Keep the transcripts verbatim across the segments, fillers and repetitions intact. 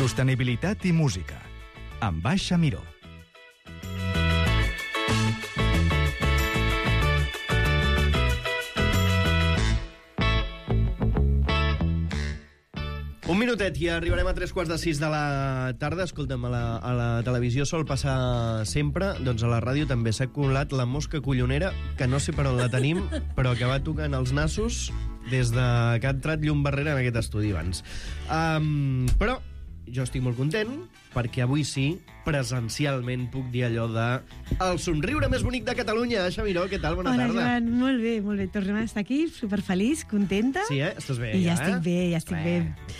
Sostenibilitat i música, amb Baixa Miró. Un minutet i arribarem a tres quarts de sis de la tarda. Escolta'm, a la, a la televisió sol passar sempre, doncs a la ràdio també s'ha colat la mosca collonera, que no sé per on la tenim, però que va tocant els nassos des de que ha entrat llum barrera en aquest estudi abans. Um, però jo estic molt content, perquè avui sí, presencialment puc dir allò de el somriure més bonic de Catalunya. Aixa Miró, què tal? Bona Hola, tarda. Joan, molt bé, molt bé. Tornem a estar aquí, superfeliç, contenta. Sí, eh? Estàs bé, I ja, ja, estic eh? bé, ja estic bé. bé.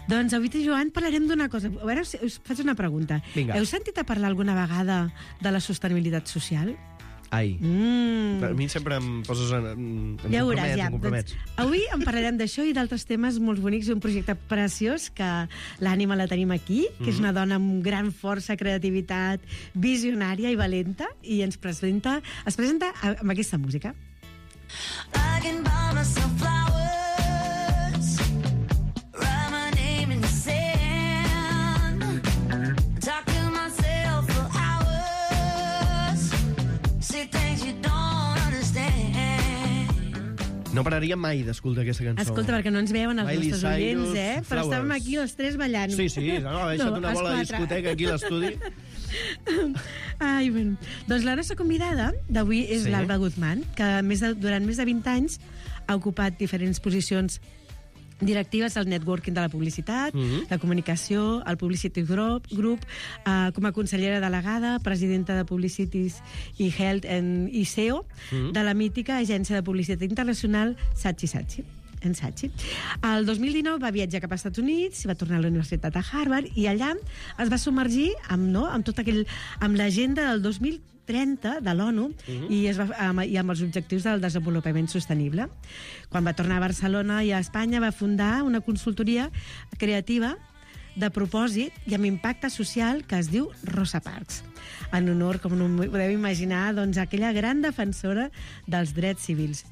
Doncs avui, Joan, parlarem d'una cosa. A veure, us faig una pregunta. Vinga. Heu sentit a parlar alguna vegada de la sostenibilitat social? Ai. Mm. A mi sempre em poses en, em Ja ho compromets, veuràs, ja. em compromets. Doncs, avui en parlarem d'això i d'altres temes molt bonics, un projecte preciós que l'Ànima la tenim aquí, que mm-hmm. és una dona amb gran força, creativitat, visionària i valenta, i ens presenta, es presenta amb aquesta música. I can buy myself flowers, write my name in the sand, talk to myself for hours, say things you don't understand. No pararia mai d'escoltar aquesta cançó. Escolta, perquè no ens veuen els Miley nostres oients, Cyrus, eh? Però Flowers. estàvem aquí els tres ballant. Sí, sí, no, ha deixat No, una els bola de quatre. discoteca aquí a l'estudi. Ai, bueno. Doncs la nostra convidada d'avui és Sí. l'Alba Guzmán, que més de, durant més de vint anys ha ocupat diferents posicions directives al networking de la publicitat, Mhm. la comunicació, el Publicity Group, group eh, com a consellera delegada, presidenta de Publicities i Health and i C E O Mhm. de la mítica agència de publicitat internacional Saatchi Saatchi. En Saatchi. El dos mil dinou va viatjar cap als Estats Units, va tornar a la Universitat de Harvard i allà es va submergir amb, no, amb tot aquell, amb l'agenda del dos mil trenta de l'ONU Mhm. i, es va, amb, i amb els objectius del desenvolupament sostenible. Quan va tornar a Barcelona i a Espanya va fundar una consultoria creativa de propòsit i amb impacte social que es diu Rosa Parks, en honor, com no podeu imaginar, doncs, a aquella gran defensora dels drets civils.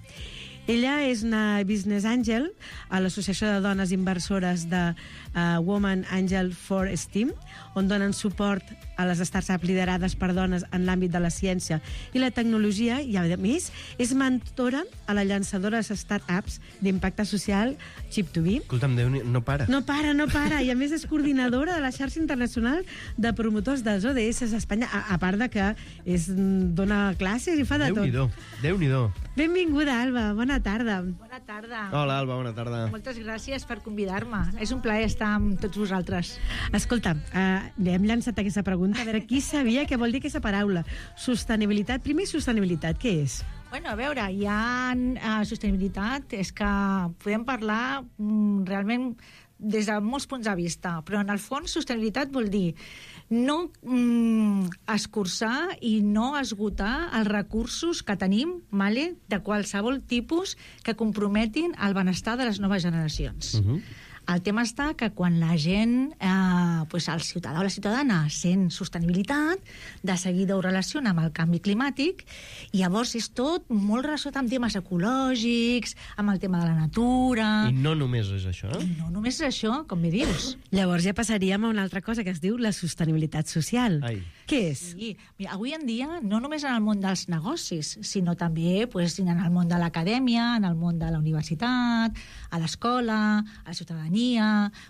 Ella és una business angel a l'Associació de Dones Inversores de uh, Women Angel for STEAM, on donen suport a les startups liderades per dones en l'àmbit de la ciència i la tecnologia, i a més és mentora a la llançadora de startups d'impacte social Chip to Be. Escolta'm, Déu, no para. No para, no para, i a més és coordinadora de la xarxa internacional de promotors dels O D S a Espanya, a, a part de que és, dona classes i fa de tot. Déu-n'hi-do, Déu-n'hi-do. Benvinguda, Alba, bona tarda. Bona tarda. Hola, Alba, bona tarda. Moltes gràcies per convidar-me. És un plaer estar amb tots vosaltres. Escolta, eh, hem llançat aquesta pregunta, a veure, qui sabia què vol dir aquesta paraula? Sostenibilitat. Primer, sostenibilitat, què és? Bueno, a veure, hi ha uh, sostenibilitat, és que podem parlar mm, realment des de molts punts de vista, però en el fons sostenibilitat vol dir no mm, escurçar i no esgotar els recursos que tenim, vale, de qualsevol tipus que comprometin el benestar de les noves generacions. Uh-huh. El tema està que quan la gent, eh, pues el ciutadà o la ciutadana sent sostenibilitat, de seguida ho relaciona amb el canvi climàtic, i llavors és tot molt relacionat amb temes ecològics, amb el tema de la natura... I no només és això, eh? I no només és això, com bé dius. Llavors ja passaríem a una altra cosa que es diu la sostenibilitat social. Ai. Què és? Sí, mira, avui en dia, no només en el món dels negocis, sinó també pues, en el món de l'acadèmia, en el món de la universitat, a l'escola, a la ciutadania...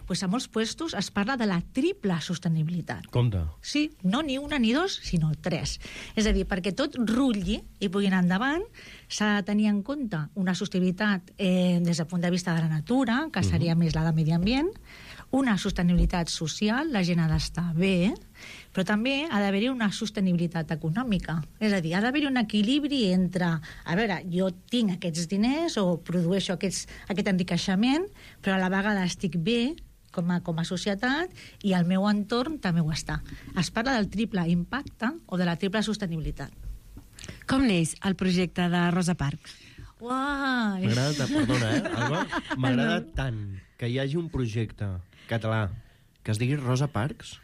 Pues a molts puestos es parla de la triple sostenibilitat. Compte. Sí, no ni una ni dos, sinó tres. És a dir, perquè tot rutlli i pugui anar endavant, s'ha de tenir en compte una sostenibilitat eh, des del punt de vista de la natura, que seria uh-huh. més la de medi ambient, una sostenibilitat social, la gent ha d'estar bé, però també ha d'haver-hi una sostenibilitat econòmica. És a dir, ha d'haver-hi un equilibri entre, a veure, jo tinc aquests diners o produeixo aquests, aquest enriqueixement, però a la vegada estic bé com a, com a societat i el meu entorn també ho està. Es parla del triple impacte o de la triple sostenibilitat. Com neix el projecte de Rosa Parks? Uai! M'agrada tant, perdona, eh, Alba? M'agrada tant que hi hagi un projecte català que es digui Rosa Parks,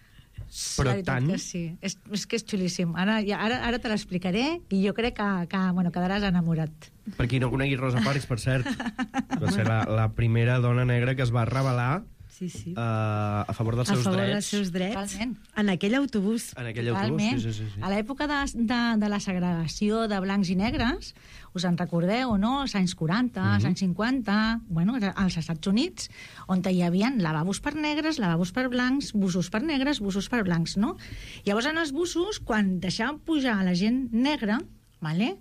però la veritat tant... que sí, és, és que és xulíssim. Ara, ja, ara, ara te l'explicaré i jo crec que, que bueno, quedaràs enamorat. Per qui no conegui Rosa Parks, per cert, va ser la, la primera dona negra que es va revelar Sí. Sí, sí. Uh, a favor dels A seus favor drets. dels seus drets. Totalment. En aquell autobús. En aquell autobús, Totalment. sí, sí, sí. A l'època de, de, de la segregació de blancs i negres, us en recordeu, no? Els anys quaranta, els anys cinquanta, bueno, als Estats Units, on hi havia lavabos per negres, lavabos per blancs, busos per negres, busos per blancs, no? Llavors, en els busos, quan deixaven pujar a la gent negra, vale,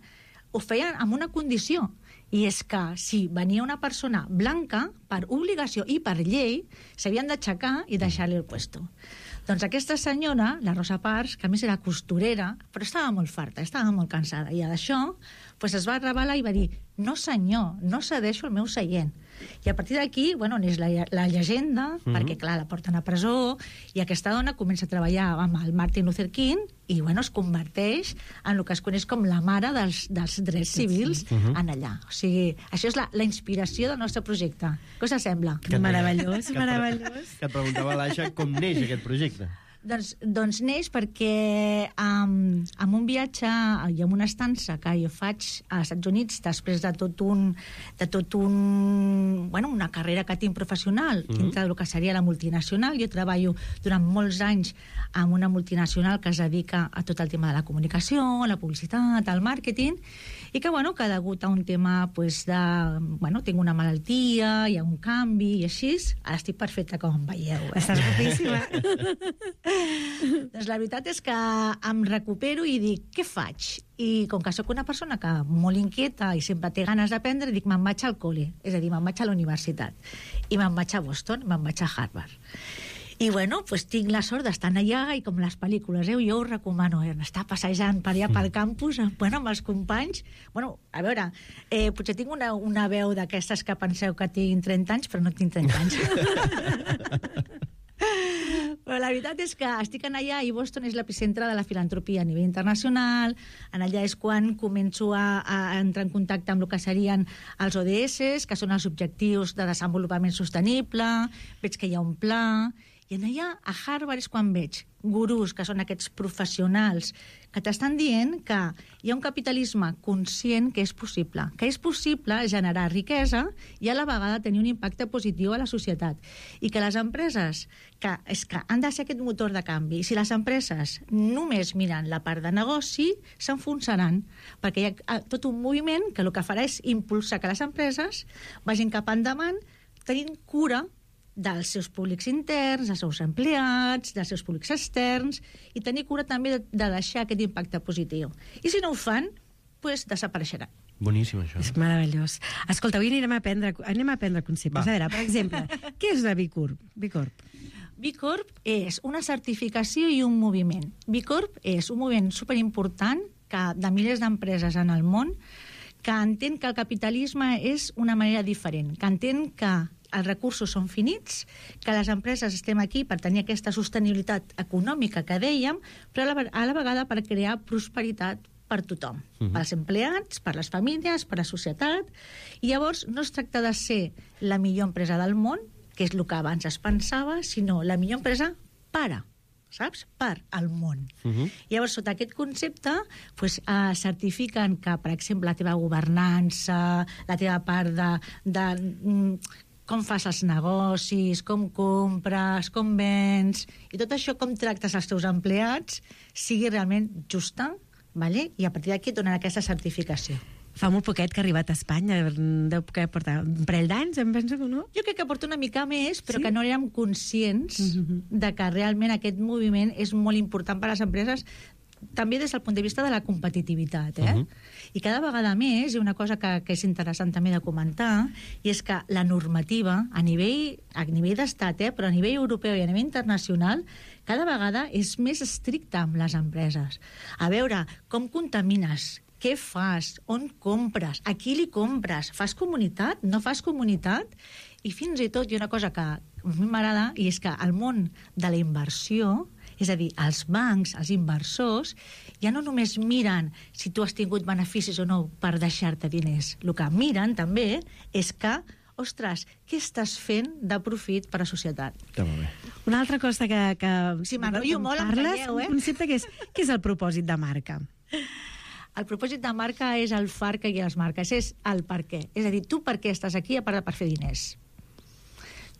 ho feien amb una condició, i és que si venia una persona blanca, per obligació i per llei, s'havien d'aixecar i deixar-li el puesto. Doncs aquesta senyora, la Rosa Parks, que a més era costurera, però estava molt farta, estava molt cansada, i d'això pues, es va rebel·lar i va dir no senyor, no cedeixo el meu seient. I a partir d'aquí, bueno, n'és la, la llegenda, mm-hmm. perquè, clar, la porten a presó, i aquesta dona comença a treballar amb el Martin Luther King i, bueno, es converteix en el que es coneix com la mare dels, dels drets civils mm-hmm. en allà. O sigui, això és la, la inspiració del nostre projecte. Què us sembla? Que meravellós, meravellós. Que et preguntava l'Aixa com neix aquest projecte. Doncs, doncs neix perquè um, amb un viatge i amb una estança que jo faig als Estats Units després de tot un, de tot un bueno, una carrera que tinc professional mm-hmm. dintre del que seria la multinacional. Jo treballo durant molts anys amb una multinacional que es dedica a tot el tema de la comunicació, la publicitat, el màrqueting, i que, bueno, que degut a un tema pues, de... Bueno, tinc una malaltia, hi ha un canvi i així, ara estic perfecta com em veieu. Eh? Estàs guapíssima. Doncs la veritat és que em recupero i dic, què faig? I com que sóc una persona que molt inquieta i sempre té ganes d'aprendre, dic, me'n vaig al col·le, és a dir, me'n vaig a la universitat. I me'n vaig a Boston, me'n vaig a Harvard. I, bueno, pues, tinc la sort d'estar allà i com les pel·lícules, eh? Jo us recomano eh? estar passejant per allà pel campus bueno, amb els companys. Bueno, a veure, eh, potser tinc una, una veu d'aquestes que penseu que tinc trenta anys, però no tinc trenta anys. Però la veritat és que estic en allà i Boston és l'epicentre de la filantropia a nivell internacional. En allà és quan començo a, a entrar en contacte amb el que serien els O D S, que són els Objectius de Desenvolupament Sostenible. Veig que hi ha un pla. I en allà, a Harvard, és quan veig gurús, que són aquests professionals, que t'estan dient que hi ha un capitalisme conscient que és possible, que és possible generar riquesa i a la vegada tenir un impacte positiu a la societat. I que les empreses, que, és que han de ser aquest motor de canvi, i si les empreses només miren la part de negoci, s'enfonsaran, perquè hi ha tot un moviment que el que farà és impulsar que les empreses vagin cap endavant tenint cura dels seus públics interns, dels seus empleats, dels seus públics externs, i tenir cura també de, de deixar aquest impacte positiu. I si no ho fan, doncs desapareixeran. Boníssim, això. És meravellós. Escolta, avui anirem a aprendre, anem a aprendre conceptes. Va. A veure, per exemple, què és la B Corp? B Corp. B Corp és una certificació i un moviment. B Corp és un moviment superimportant que, de milers d'empreses en el món, que entén que el capitalisme és una manera diferent, que entén que els recursos són finits, que les empreses estem aquí per tenir aquesta sostenibilitat econòmica que dèiem, però a la, a la vegada per crear prosperitat per tothom, uh-huh. pels empleats, per les famílies, per la societat. I llavors no es tracta de ser la millor empresa del món, que és el que abans es pensava, sinó la millor empresa per, saps? Per al món. Uh-huh. Llavors, sota aquest concepte, pues, eh, certifiquen que, per exemple, la teva governança, la teva part de... de mm, com fas els negocis, com compres, com vens, i tot això, com tractes els teus empleats, sigui realment justa, vale? I a partir d'aquí et donen aquesta certificació. Fa molt poquet que ha arribat a Espanya, deu que portar un parell d'anys, em penso que no? Jo crec que porta una mica més, però sí? que no érem conscients mm-hmm. de que realment aquest moviment és molt important per a les empreses, també des del punt de vista de la competitivitat, eh? Uh-huh. I cada vegada més, hi ha una cosa que, que és interessant també de comentar, i és que la normativa, a nivell, a nivell d'estat, eh, però a nivell europeu i a nivell internacional, cada vegada és més estricta amb les empreses. A veure, com contamines, què fas, on compres, a qui li compres, fas comunitat, no fas comunitat? I fins i tot hi ha una cosa que a mi m'agrada, i és que el món de la inversió, és a dir, els bancs, els inversors, ja no només miren si tu has tingut beneficis o no per deixar-te diners. El que miren també és que, ostres, què estàs fent de profit per a la societat? Està molt bé. Una altra cosa que... que si m'enrotllo molt, em parles, calleu, eh? Un concepte que és, què és el propòsit de marca? El propòsit de marca és el far que hi ha a les marques, és el per què. És a dir, tu per què estàs aquí a part de per fer diners?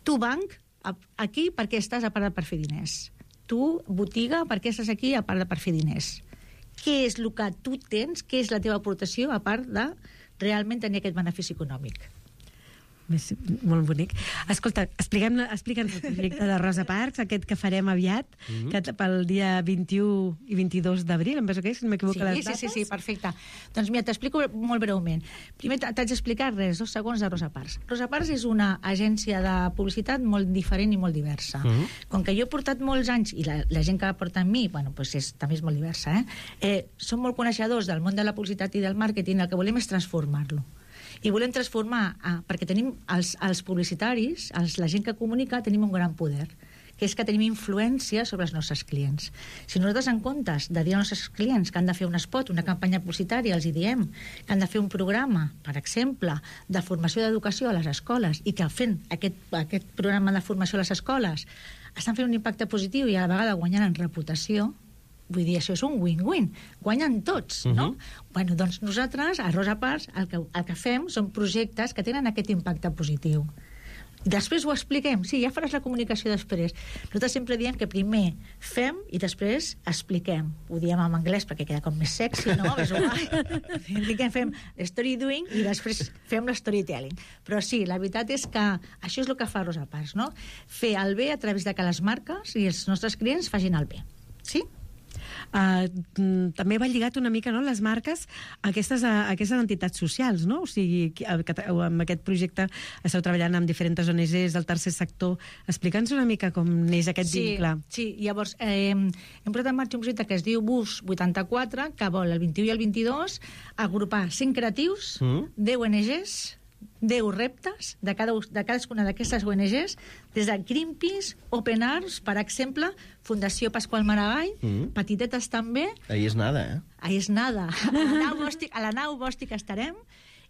Tu, banc, aquí perquè estàs a part de per fer diners. Tu, botiga, per què estàs aquí a part de per fer diners? Què és el que tu tens, què és la teva aportació a part de realment tenir aquest benefici econòmic? Molt bonic. Escolta, explica'm, explica'ns el projecte de Rosa Parks, aquest que farem aviat, mm-hmm. que pel dia vint-i-u i vint-i-dos d'abril, em penso que és, si no m'equivoco sí, les sí, dates. Sí, sí, perfecte. Doncs mira, t'explico molt breument. Primer t'haig d'explicar res, dos segons de Rosa Parks. Rosa Parks és una agència de publicitat molt diferent i molt diversa. Mm-hmm. Com que jo he portat molts anys, i la, la gent que porta amb mi, bueno, pues és, també és molt diversa, eh? eh? Som molt coneixedors del món de la publicitat i del màrqueting, el que volem és transformar-lo. I volem transformar, ah, perquè tenim els, els publicitaris, els, la gent que comunica, tenim un gran poder, que és que tenim influència sobre els nostres clients. Si nosaltres, en comptes de dir als nostres clients que han de fer un spot, una campanya publicitària, els hi diem que han de fer un programa, per exemple, de formació d'educació a les escoles, i que fent aquest, aquest programa de formació a les escoles estan fent un impacte positiu i a la vegada guanyant en reputació, vull dir, això és un win-win. Guanyen tots, no? Uh-huh. Bueno, doncs nosaltres, a Rosa Parks, el que, el que fem són projectes que tenen aquest impacte positiu. Després ho expliquem. Sí, ja faràs la comunicació després. Nosaltres sempre diem que primer fem i després expliquem. Ho diem en anglès perquè queda com més sexy, no? És que fem story doing i després fem la storytelling. Però sí, la veritat és que això és el que fa Rosa Parks, no? Fer el bé a través de que les marques i els nostres clients facin el bé. Sí? Uh, també va lligat una mica, no?, les marques a aquestes, a aquestes entitats socials, no? O sigui, amb aquest projecte esteu treballant amb diferents O N Ges del tercer sector. Explica'ns una mica com neix aquest sí, vincle. Sí, llavors eh, hem posat en marxa un projecte que es diu Bus vuitanta-quatre, que vol el vint-i-u i el vint-i-dos agrupar cinc creatius, mm. deu O N Ges, deu reptes de, cada, de cadascuna d'aquestes O N Ges, des de Greenpeace, Open Arms, per exemple, Fundació Pasqual Maragall, mm. petitetes també. Ahí és nada, eh? Ahí és nada. A la nau bòstic, a la nau bòstic estarem,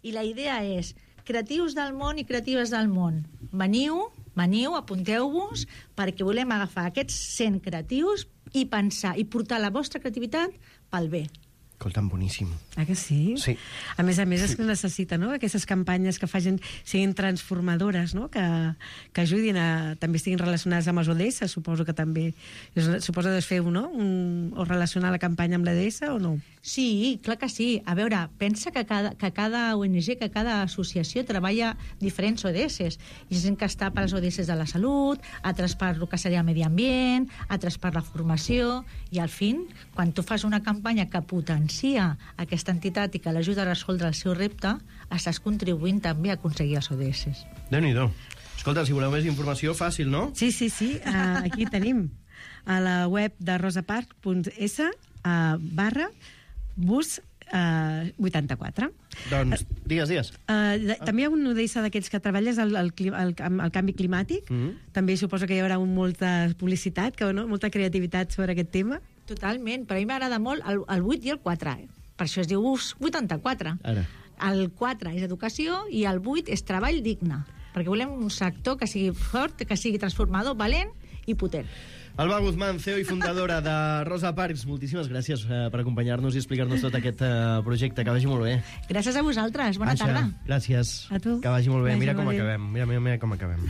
i la idea és creatius del món i creatives del món. Veniu, veniu, apunteu-vos, perquè volem agafar aquests cent creatius i pensar, i portar la vostra creativitat pel bé. Escolta'm, boníssim. Ah, que sí? Sí. A més a més és que necessita, no?, aquestes campanyes que facin, siguin transformadores, no?, que, que ajudin a... també estiguin relacionades amb els O D S, suposo que també... Suposo que es feu, no?, un, o relacionar la campanya amb l'E D S o no? Sí, clar que sí. A veure, pensa que cada, que cada O N G, que cada associació treballa diferents O D S. Hi ha gent que està per als O D S de la salut, altres per el que seria el medi ambient, altres per la formació, i al fin, quan tu fas una campanya que potencia aquesta entitat i que l'ajuda a resoldre el seu repte, estàs contribuint també a aconseguir els O D S. Déu-n'hi-do. Escolta, si voleu més informació, fàcil, no? Sí, sí, sí. Uh, aquí tenim a la web de rosaparks punt es uh, barra bus uh, vuitanta-quatre. Doncs, digues, digues. Uh, també hi ha un O D S d'aquells que treballes al, al, al, al canvi climàtic. Mm-hmm. També suposo que hi haurà molta publicitat, que, no? molta creativitat sobre aquest tema. Totalment, però a mi m'agrada molt el, el vuit i el quatre. Eh? Per això es diu Bus vuitanta-quatre. Ara. El quatre és educació i el vuit és treball digne, perquè volem un sector que sigui fort, que sigui transformador, valent i potent. Alba Guzmán, C E O i fundadora de Rosa Parks, moltíssimes gràcies eh, per acompanyar-nos i explicar-nos tot aquest eh, projecte. Que vagi molt bé. Gràcies a vosaltres. Bona Aixa, tarda. Gràcies. A tu. Que vagi molt bé. Vagi Mira com molt bé. acabem. Mira, mira, mira com acabem.